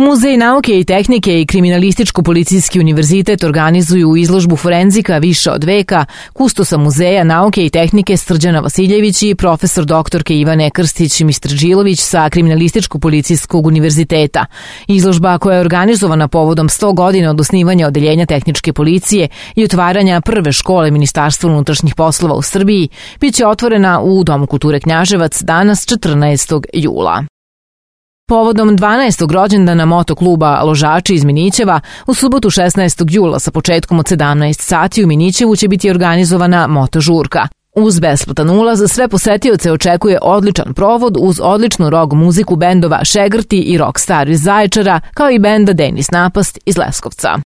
Muzej nauke i tehnike i Kriminalističko-policijski univerzitet organizuju izložbu forenzika više od veka kustosa Muzeja nauke i tehnike Srđana Vasiljević i profesor doktorke Ivane Krstić-Mistradžilović sa Kriminalističko-policijskog univerziteta. Izložba koja je organizovana povodom 100 godina od osnivanja Odeljenja tehničke policije i otvaranja prve škole Ministarstva unutrašnjih poslova u Srbiji biće otvorena u Domu kulture Knjaževac danas 14. jula. Povodom 12. rođendana motokluba Ložači iz Minićeva, u subotu 16. jula sa početkom od 17 sati u Minićevu će biti organizovana motožurka. Uz besplatan ulaz sve posetioce očekuje odličan provod uz odličnu rock muziku bendova Šegrti i Rockstar iz Zaječara, kao i benda Denis Napast iz Leskovca.